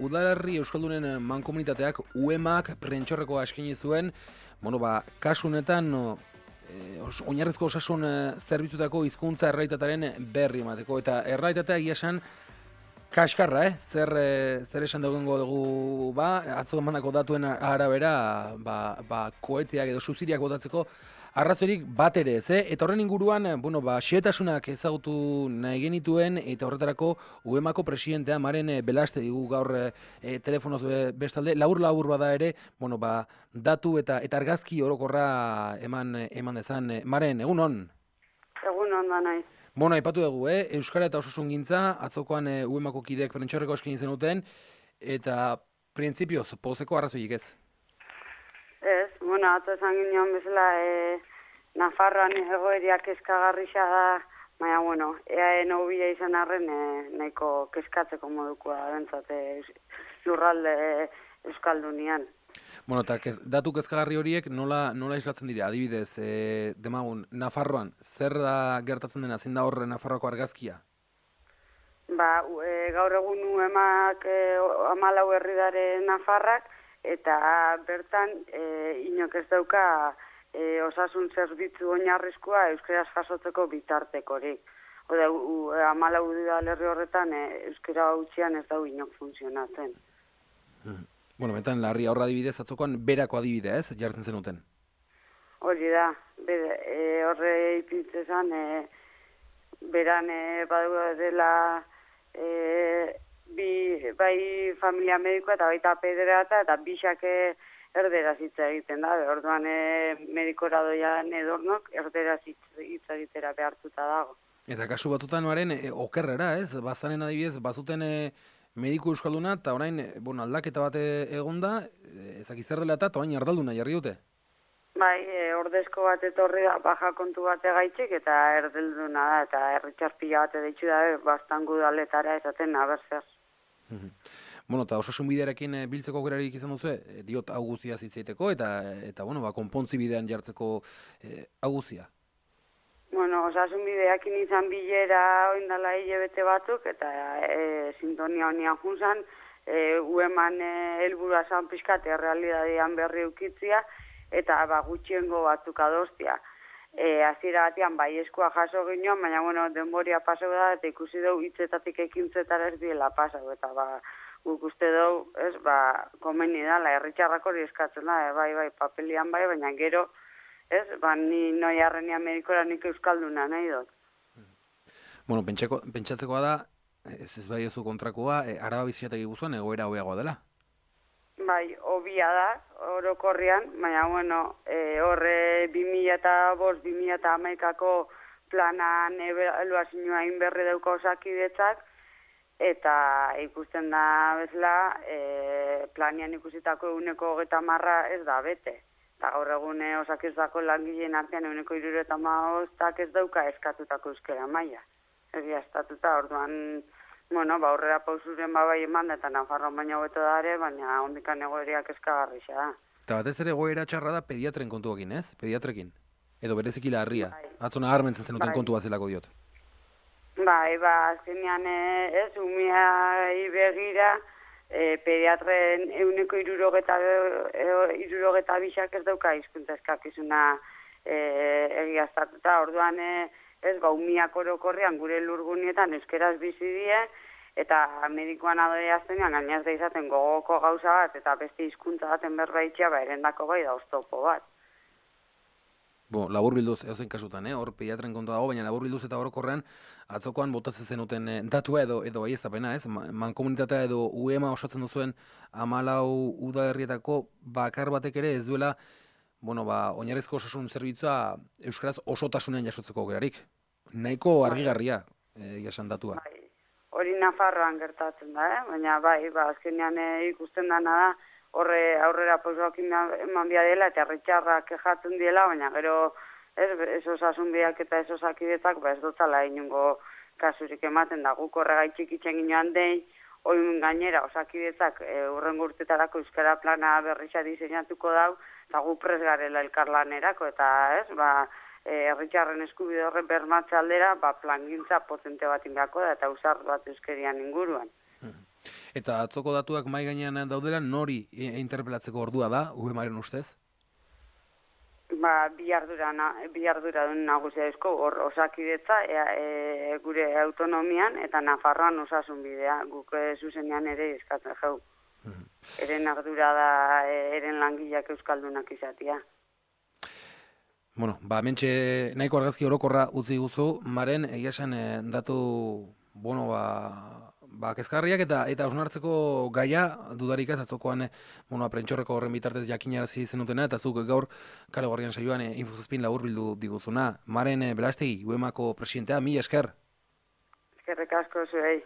Udalerri Euskaldunen mankomunitateak UEMak prentxorrekoa eskaini zuen, kasu honetan oinarrizko osasun zerbitzutako hizkuntza errealitatearen berri emateko, eta errealitatea egia esan kaskarra, zer esan dugu atzo emandako datuen arabera, koeteak edo suziriak botatzeko arrazoirik bat ere ez, eta horren inguruan, xehetasunak ezagutu nahi genituen, eta horretarako UEMako presidentea Maren Belaste digu gaur telefonoz bestalde, labur bada ere, datu eta argazki orokorra eman dezan. Maren, egun hon? Egun hon da nahi. Aipatu dugu, Euskara eta osasungintza, atzokoan UEMako kideek prentxorreko eskaini zenuten, eta printzipioz, pozeko arrazoirik ez? Ez, atzo esan ginean bezala, Nafarroan egoeriak kezkagarrisa da, baina, EAEN hobia izan arren nahiko kezkatzeko modukoa bentzat lurralde Euskaldunian. Eta datu kezkagarri horiek nola islatzen dira? Adibidez, demagun, Nafarroan, zer da gertatzen dena, zein da horre Nafarroako argazkia? Gaur egun UEMak 14 herri dare Nafarrak, eta bertan inok ez dauka osasun zerbitzu oinarrizkoa euskaraz jasotzeko bitartekorik. 14 udalerri horretan euskara hutsean ez dau inok funtzionatzen. Betan larria horra adibidez, atzokoan berako adibidea ez, jartzen zenuten? Hori da, horre ipintzezan, beran badu dela bai familia medikoa eta baita pederata eta bisak erderaz hitz egiten da. Orduan medikora doian edornok erderaz hitz egitera behartuta dago. Eta kasu batutan okerrera ez? Bazanen adibidez, bazuten mediku euskalduna eta orain aldaketa bat egonda, ezak zer dela eta orain ardalduna jarri dute? Ordezko bat etorri da, baja kontu bat egaitzik eta erdelduna da, eta erritxarpila bat editzu da, bastan gudaletara esaten abertzer. Eta osasun bidearekin biltzeko aukerarik izan duzu, diot hau guztia zitzeiteko, eta konpontzi bidean jartzeko hau guztia? Osasun bideakin izan bilera oindala hilabete batzuk, eta sintonia honian junzan, UEMan helburua zan pixkat errealidadean berri eukitzia, eta gutxiengo batzuk adostia. Hasiera batean eskua jaso ginoan, baina denboria pasau da, eta ikusi dugu hitzetatik ekintzetara ez diela pasau, eta guk uste dugu, komeni dala, herritxarrak hori eskatzen da, papelian baina gero, ni noi arrenia medikora nik euskalduna nahi dut. Pentsatzekoa da, ez bai oso kontrakoa, Araba Biziategi Gipuzkoan egoera hobeagoa dela? Hobia da, orokorrian, baina, horre 2005-2011ko planan ebaluazioa inberri dauka osakidetzak, eta ikusten da bezala, planian ikusitako 130 ez da bete. Eta gaur egun osakidetzako langileen artean 175 ez dauka eskatutako euskara maila. Egia estatuta, orduan, aurrera pausuren bai eman, eta Nafarroan baina hobeto da ere, baina ondikan egoeriak eskagarrisa da. Eta batez ere egoera txarra da pediatren kontuakin, ez? Pediatrekin. Edo bereziki larria. Atzona harmentzen zenuten kontu bat zelako diot. Azkenean umiai begira, pediatren 162 bisak ez dauka hizkuntza eskakizuna egiaztatuta. Orduan, umiak orokorrean gure lurgunietan euskeraz bizi die, eta medikoan adorea aztenean gainaz da izaten gogoko gauza bat, eta beste hizkuntza baten berbaitxea, erendako bai da oztopo bat. Labur bilduz, eozein kasutan, hor pediatren kontu dago, baina labur bilduz eta orokorrean atzokoan botatzen zenuten datua edo baieztapena, ez? Mankomunitatea edo UEMa osatzen duzuen 14 udalerrietako bakar batek ere ez duela oinarrizko osasun zerbitzua euskaraz osotasunean jasotzeko aukerarik. Nahiko argigarria jasan datua. Hori Nafarroan gertatzen da, baina azkenean ikusten dana da, horre aurrera pausoak eman bia dela, eta herritxarrak kejatzen diela, baina gero ez osasun biak eta ez osakidetzak ez dutala inungo kasurik ematen da. Guk horregaitxik itxen ginoan dein, oin gainera osakidetzak urrengo urtetarako euskara plana berriza diseinatuko dau, eta gu prest garela elkarlanerako, eta herritxarren eskubide horren bermatze aldera, plangintza potente bat ingako da, eta usar bat euskerian inguruan. Eta atzoko datuak mai gainean daudela, nori interpelatzeko ordua da, UEMaren ustez? Bi arduradun nagusia eusko, hor Osakidetza gure autonomian eta Nafarroan osasun bidea, guk zuzenean ere eskatzen jau. Eren ardura da, eren langileak euskaldunak izatea. Bueno, mentxe nahiko argazki orokorra utzi guzu, Maren, egia esan datu, kezkarriak eta hausnartzeko gaia dudarik ez atzokoan prentxorreko horren bitartez jakinarazi zenutena eta zuk gaur kale gorrian saioan infozazpin laburbildu diguzuna. Maren Belastegi, UEMako presidentea, mila esker. Eskerrik asko zuei.